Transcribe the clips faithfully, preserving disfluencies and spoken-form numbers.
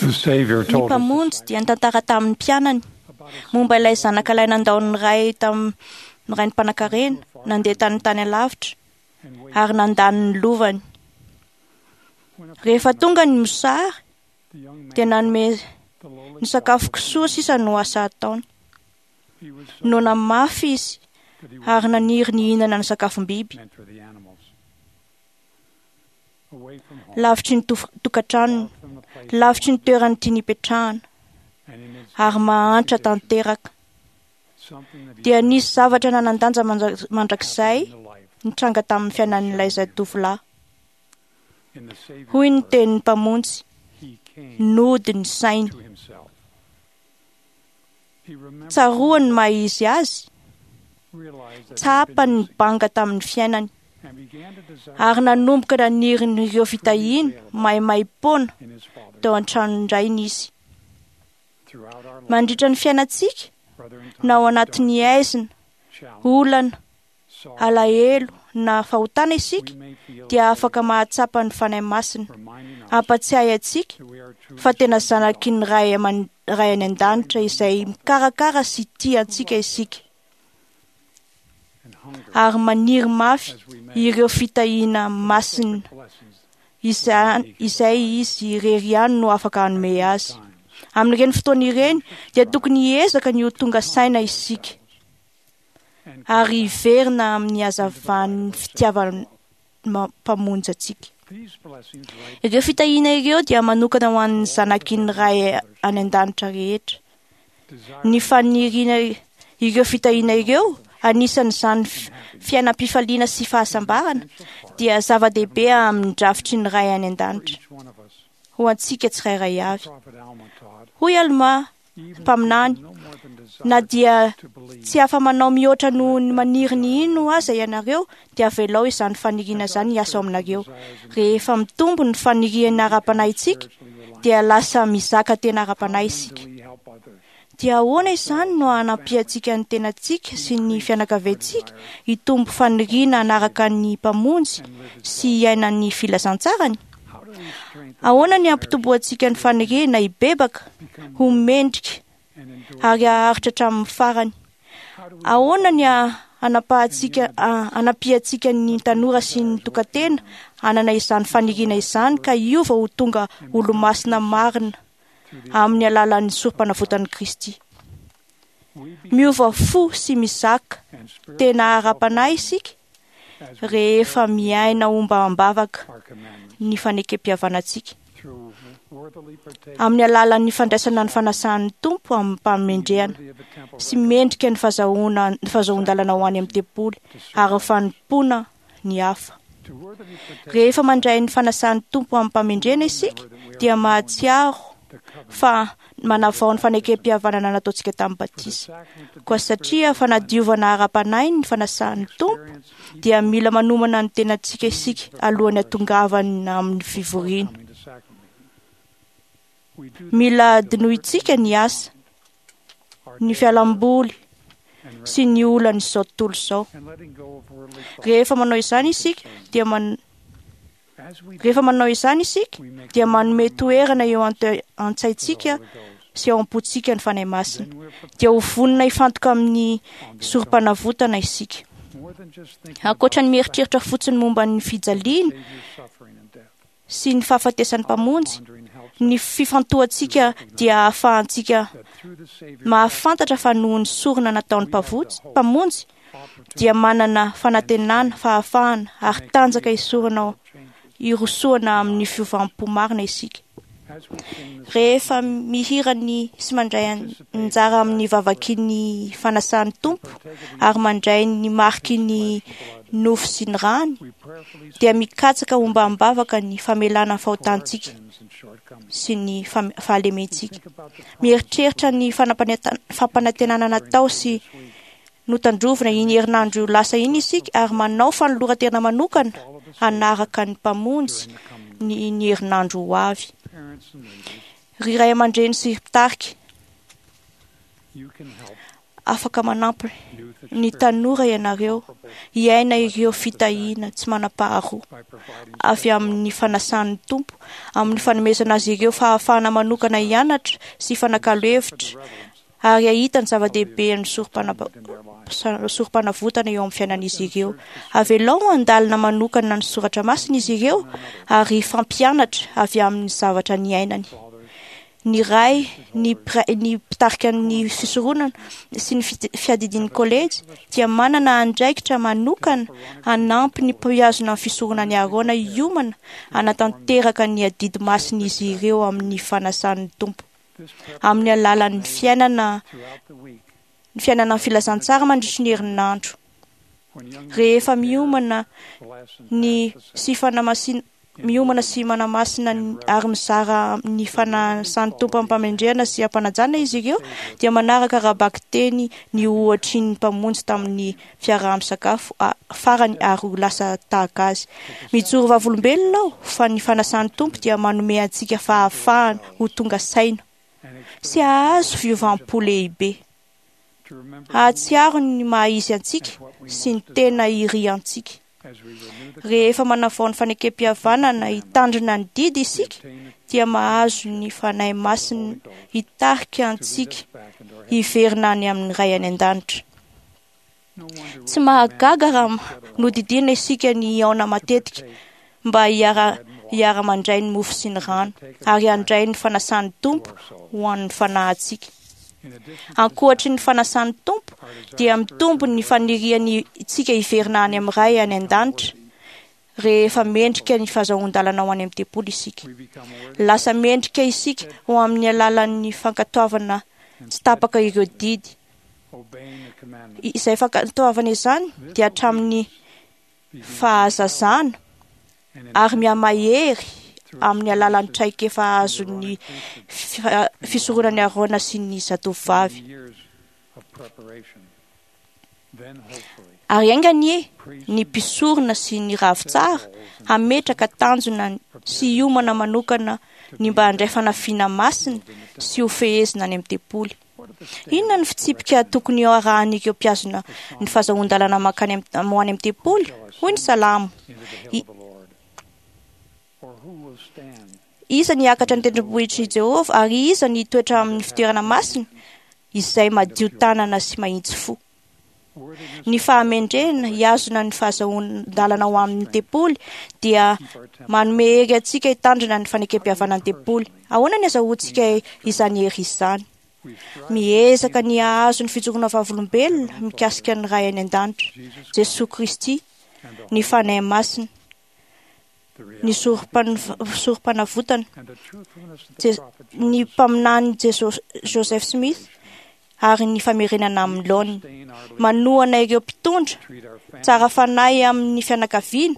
The Savior Ny told his Mpamonjy dia nitantara tamin'ny mpianany momba ilay zanaka ilay nandao ny ray tamin'ny rainy mpanankarena, nandeha tany tany alavitra ary nandany ny lovany. Rehefa tonga ny mosary the young man, dia nanome the lowly ny sakafo kisoa sisa no asa ataony. he was so Noana mafy izy that he ary was naniry ny hihinana ny sakafom-biby. meant for the animals. Away from home, Lavitry ny tof- tokantranony, far from the place lavitry ny toerany tiany hipetrahana and in his ary mahantra tanteraka. something that he Dia nisy zavatra nanan-danja mandra- mandrakizay in the life nitranga tamin'ny fiainan'ilay zatovolahy. in the Savior's Hoy ny word, tenin'ny Mpamonjy, he came nody ny sainy. to himself. He remembered Tsaroany ny maha izy azy, realized that he had been tsapany ny missing banga tamin'ny fiainany and began to desire ary nanomboka naniry ireo fitahiana maimaimpoana in his father's teo an-tranon-drainy izy. throughout our life, Mandritra ny fiainantsika, brother in na ao times of anatin'ny darkness, aizina, challenge, olana, sorrow, alahelo na fahotana isika, we may feel dia afaka mahatsapa ny Fanahy Masina reminding us hampatsiahy antsika that we are truly fa tena sons of God. zanaky ny Ray aman- Ray any an-danitra izay mikarakara sy tia antsika isika and hunger ary maniry mafy as we may ireo fitahiana masina blessings izay, izay izy irery ihany no afaka hanome azy. times Amin'ireny fotoana ireny dia tokony hiezaka ny ho tonga saina isika and ary hiverina amin'ny hazavan'ny fitiavan'ny ma- Mpamonjy antsika. these blessings right Ireo fitahiana ireo dia manokana ho an'ny zanaky ny Ray any an-danitra rehetra. desire Ny faniriana ireo fitahiana ireo, anisan'izany fi- fiainam-pifaliana sy fahasambarana, dia zava-dehibe amin'ny drafitry ny Ray any for an-danitra each one of us. ho antsika tsirairay avy. Prophet Alma taught, Hoy Alma, even if you mpaminany, no more than desire na dia to believe, tsy afa-manao mihoatra noho ny maniry ny hino aza ianareo, dia avelao izany faniriana izany hiasa ao aminareo. Rehefa mitombo ny faniriana ara-panahintsika, spiritually reliant, dia lasa mizaka tena ara-panahy isika. do we help others Dia ahoana izany no hanampiantsika ny tenantsika sy ny fianakaviantsika hitombo faniriana hanaraka ny Mpamonjy sy hiaina ny filazantsarany? How do we strengthen Ahoana ny hampitomboantsika ny faniriana hibebaka, become ho mendrika and endure? ary haharitra hatramin'ny farany? How do we Ahoana ny ha- hanapahantsika ha- hanampiantsika ny tanora sy ny tokantena hanana izany faniriana izany ka hiova ho tonga olomasina marina through the amin'ny alalan'ny sorom-panavotan'i Kristy? we be Miova fo sy mizaka and spiritually tena ara-panahy isika as we rehefa miaina ombam-bavaka our commandments ny fanekem-pihavanantsika through worthily partaking amin'ny alalan'ny fandraisana ny fanasan'ny Tompo amin'ny-pamendrehana worthy of the temple sy mendrika ny fahazahoana ny fahazahoan-dalana ho any amin'ny tempoly ary ny fanompoana ny hafa. to worthily partake Rehefa mandray ny fanasan'ny Tompo amin'ny-pamendrehana isika dia mahatsiaro the covenant fa manavao ny fanekem-pihavanana nataontsika tamin'ny for the batisa. sacrament to Koa satria fanadiovana ara-panahy ny fanasan'ny Tompo experience each dia mila manomana ny tenantsika isika alohan'ny hatongavana amin'ny fivoriana. coming to sacrament meeting. We do this Mila with adinointsika ny asa, our ny daily fialamboly and sy ny olan'izao tontolo izao. and letting go of worldly thoughts. Rehefa manao izany isika dia man... As we do, rehefa manao izany isika we make dia room manome in our toerana eo ante- mind for the an-tsaintsika Holy Ghost. sy ao am-pontsika ny Fanahy Masina. Then we're prepared Dia ho vonona hifantoka amin'ny on the atonement. sorom-panavotana isika. More than just thinking Ankoatra about ny the mieritreritra fotsiny momba ny fijaliana Savior's suffering and death. sy ny fahafatesan'ny Mpamonjy, Pondering helps ny fifantohantsika dia ahafahantsika that through the Savior's mahafantatra fa noho ny sorona nataon'ny mpavonjy- Mpamonjy opportunity dia manana fanantenana, fahafahana ary tanjaka hisorona changes. hirosoana amin'ny fiovam-po marina isika. As we sing this Rehefa mihira ny sy mandray anjara amin'ny vavaky ny fanasan'ny Tompo ary mandray ny mariky ny nofo sy ny rany, we prayerfully dia mikatsaka ombam-bavaka ny famelana ny for our fahotantsika sins and shortcomings. sy ny fam- fahalementsika. Think about the promise Mieritreritra ny fanapaneta- fampanantenana natao sy this week. notandrovina iny herinandro lasa iny isika ary manao fanoloran-tena manokana Follow the Savior hanaraka ny Mpamonjy during the coming ny ny herinandro ho avy. parents and leaders. Ry ray aman-dreny sy mpitarika, You can help Afaka manampy ny tanora ianareo hiaina ireo fitahiana tsy manam-paharoa avy amin'ny fanasan'ny Tompo, amin'ny fanomezana azy ireo fahafahana manokana hianatra sy hifanakalo hevitra ary hahita ny zava-dehibe ny sorom-panavotana eo amin'ny fiainan'izy ireo. Avelao handalina manokana ny soratra masina izy ireo ary hifampianatra avy amin'ny zavatra niainany. Ny ray, ny ny mpitarika ny fisoronana sy ny fiadidian'ny kolejy dia manana andraikitra manokana hanampy ny mpihazona ny fisoronan'i Aarona hiomana hanatanteraka ny adidy masin'izy ireo amin'ny fanasan'ny Tompo amin'ny alalan'ny fiainana ny fiainana ny filazantsara mandritry ny herinandro. Rehefa miomana ny sy fanamasin miomana sy manamasina ary mizara ny fanasan'ny Tompo am-pamendrehana sy am-panajana izy ireo dia manaraka ara-bakiteny ny ohatry ny Mpamonjy tamin'ny fiaraha-misakafo farany ary ho lasa tahaka azy. Mijoro vavolombelona aho fa ny fanasan'ny Tompo dia manome antsika fahafahana ho tonga saina sy hahazo fiovam-po lehibe, hahatsiaro ny maha izy antsika sy ny tena iriantsika. Rehefa manavao ny fanekem-pihavanana hitandrina ny didy isika dia mahazo ny Fanahy Masina hitarika antsika hiverina any amin'ny Ray any an-danitra. Tsy mahagaga raha nodidiana isika ny hihaona matetika mba hiara hiara-mandray ny mofo sy ny rano ary handray ny fanasan'ny Tompo ho an'ny fanahintsika. Ankoatry ny fanasan'ny Tompo dia mitombo ny faniriantsika hiverina any amin'ny Ray any an-danitra rehefa mendrika ny fahazoan-dalana ho any amin'ny tempoly isika. Lasa mendrika isika ho amin'ny alalan'ny fankatoavana tsy tapaka ireo didy. Izay fankatoavana izany dia hatramin'ny fahazazana ary mihamahery amin'ny alalan'ny traikefa azon'ny fisoronan'i Aarona sy ny zatovovavy. Ary enga anie ny mpisorona sy ny ravitsara hametraka tanjona sy hiomana manokana ny mba handray fanafiana masina sy ho fehezina any amin'ny tempoly. Inona ny fitsipika tokony harahan'ireo mpihazona ny fahazoan-dalana mankany ho any amin'ny tempoly? Hoy ny Salamo. Iza ny hiakatra ny tendrombohitr'i Jehovah ary iza ny hitoetra amin'ny fitoerana masina izay madio tanana sy mahitsy fo? Ny fahamendrehana hihazona ny fahazoan-dalana ho amin'ny tempoly dia manome hery antsika hitandrina ny fanekem-pihavanan'ny tempoly. Ahoana ny azahoantsika izany hery izany? Miezaka ny hahazo ny fijoroana vavolombelona mikasika ny Ray any an-danitra, Jesoa Kristy, ny Fanahy Masina, ny sorom-panavotana, ny mpaminany Joseph Smith ary ny famerenana amin'ny laoniny. Manohana ireo mpitondra tsara fanahy amin'ny fianakaviana,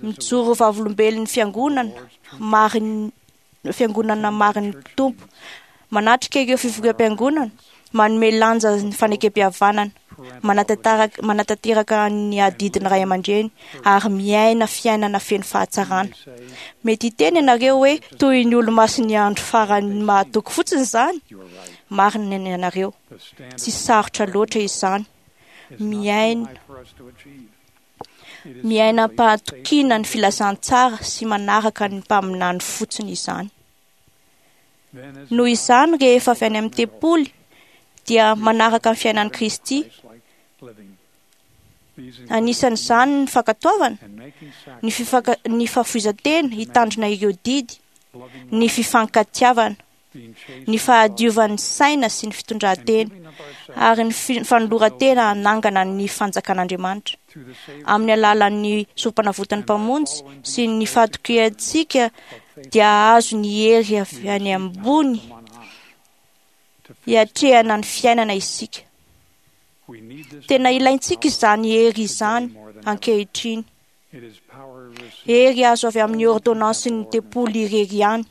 mijoro vavolombelon'ny fiangonana marin'ny fiangonana marin'ny Tompo, manatrika ireo fivoriam-piangonana, manome lanja ny fanekem-pihavanana, manatanteraka manatanteraka ny adidin'ny ray aman-dreny ary miaina fiainana feno fahatsarana. Mety hiteny ianareo hoe toy ny olo-masin'ny andro farany mahatoky fotsiny izany. Marina ny ianareo, tsy sarotra loatra izany. Miaina miaina am-pahatokiana ny filazantsara sy manaraka ny mpaminany fotsiny izany. Noho izany, rehefa avy any amin'ny tempoly dia manaraka ny fiainan'i Kristy. Anisan'izany ny fankatoavana, ny fifaka ny fahafoizan-tena hitandrina ireo didy, ny fifankatiavana, ny fahadiovan'ny saina sy ny fitondran-tena ary ny fanoloran-tena hanangana ny fanjakan'Andriamanitra amin'ny alalan'ny sorom-panavotan'ny Mpamonjy sy ny fahatokiantsika dia hahazo ny hery avy any ambony hiatrehana ny fiainana isika. Tena ilaintsika izany hery izany ankehitriny. Hery azo avy amin'ny ordonnansin'ny tempoly irery ihany.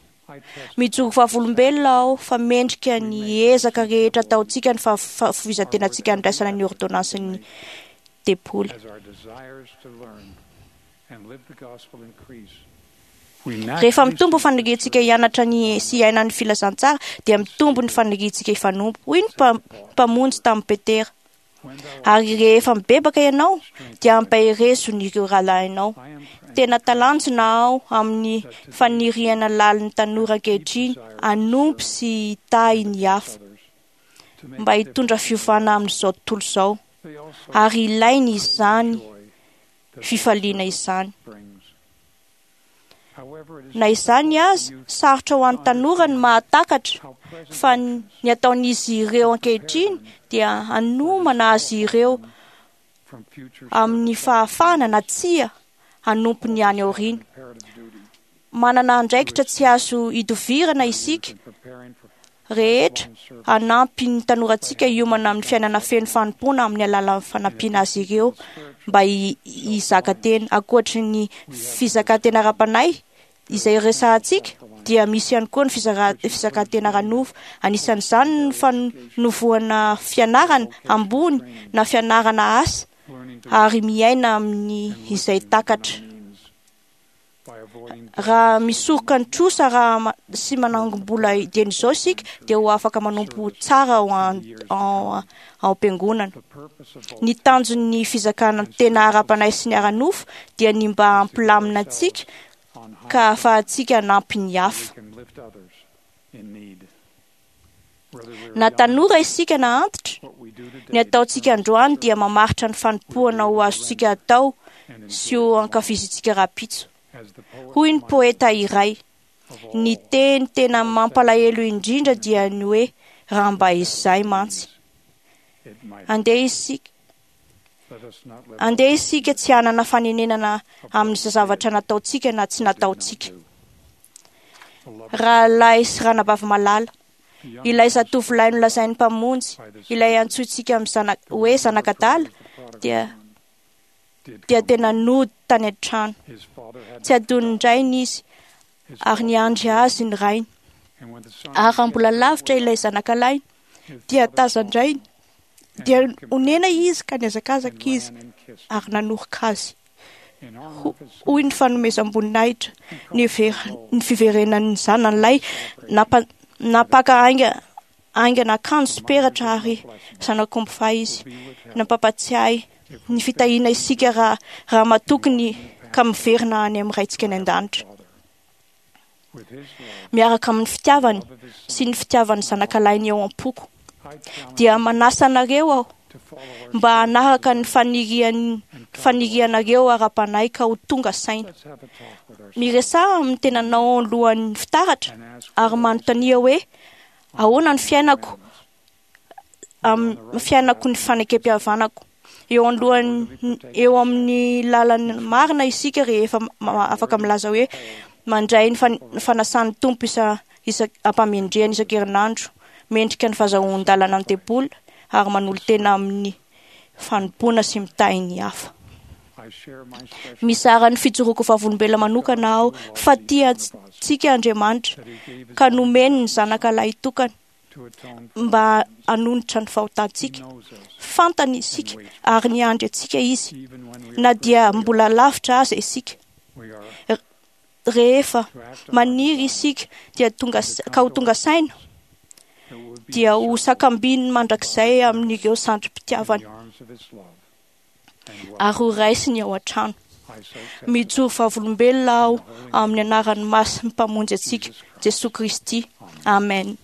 Mijoro vavolombelona aho fa mendrika ny ezaka rehetra ataontsika ny fahafoizan-tenantsika handraisana ny ordonnansin'ny tempoly. As our desires to learn and live the gospel increase, Rehefa mitombo faniriantsika hianatra ny sy hiaina ny filazantsara dia mitombo ny faniriantsika hifanompo, hoy ny Mpamonjy tamin'i Petera. Ary rehefa mibebaka ianao dia ampaherezo ireo rahalahinao. Tena talanjona aho amin'ny faniriana lalin'ny tanora ankehitriny hanompo sy hitahy ny hafa mba hitondra fiovana amin'izao tontolo izao, ary ilainy izany fifaliana izany. Na izany aza, sarotra ho an'ny tanora ny mahatakatra fa ny ataon'izy ireo ankehitriny dia hanomana azy ireo amin'ny fahafahana na tsia hanompo ny any aoriana. Manana andraikitra tsy azo idovirana isika rehetra hanampy ny tanorantsika hiomana amin'ny fiainana feno fanompoana amin'ny alalan'ny fanampiana azy ireo mba hizaka tena. Ankoatry ny fizakan-tena ara-panahy izay resahantsika dia misy ihany koa ny fizakan-tena ara-nofo. Anisan'izany ny fanovoana fianarana ambony na fianarana asa ary miaina amin'ny izay takatra. Raha misoroka ny trosa raha sy manangom-bola dieny izao isika dia ho afaka manompo tsara ao am-piangonana. Ny tanjon'ny fizakana tena ara-panahy sy ny ara-nofo dia ny mba hampilamina antsika ka ahafahantsika hanampy ny hafa. Na tanora isika na antitra, ny ataontsika androany dia mamaritra ny fanompoana ho azontsika atao sy ho ankafizintsika rahampitso. Hoy ny poeta iray, ny teny tena mampalahelo indrindra dia ny hoe raha mba izay mantsy. Andeha isika andeha isika tsy hanana fanenenana amin'ny zavatra nataontsika na tsy nataontsika. Rahalahy sy ranabavy malala, ilay zatovolahy nolazain'ny Mpamonjy, ilay antsointsika amin'ny zana- hoe zanak'adala dia dia tena nody tany an-trano. Tsy adinin-drainy izy ary niandry azy ny rainy. Ary raha mbola lavitra ilay zanakalahy dia tazan-drainy, dia onena izy ka nihazakazaka izy ary nanoroka azy. Hoy ny fanomezam-boninahitra ny ny fiverenan'ny zanany lahy nampa- nampaka ainga aingana akanjo sy peratra ary zanak'omby fahy izy. Nampampatsiahy ny fitahiana isika raha raha matoky ny ka miverina any amin'ny Raintsika any an-danitra. Miaraka amin'ny fitiavany sy ny fitiavan'ny zanakalahy eo am-poko dia manasa anareo aho mba hanaraka ny fanirian fanirianareo ara-panahy ka ho tonga saina. Miresaha amin'ny tenanao alohan'ny fitaratra ary manontania hoe ahoana ny fiainako amin'ny fiainako ny fanekempihavanako. Eo anoloan'ny eo amin'ny lalana marina isika rehefa afaka milaza hoe mandray ny fanasan'ny Tompo isa isa ampamendrehana isan-kerinandro, mendrika ny fahazoan-dalana ny tempoly ary manolo-tena amin'ny fanompoana sy mitahy ny hafa. Mizara ny fijoroako vavolombelona manokana aho fa tia antsika Andriamanitra ka nomeny ny zanaka lahitokana mba hanonitra ny fahotantsika. Fantany isika ary niandry antsika izy na dia mbola lavitra aza isika. Rehefa maniry isika dia tonga ka ho tonga saina dia ho sakambininy mandrakizay amin'ireo sandrim-pitiavana ary ho raisiny ao an-trano. Mijoro vavolombelona aho amin'ny anaran'ny masin'ny Mpamonjy antsika, Jesoa Kristy. Amen.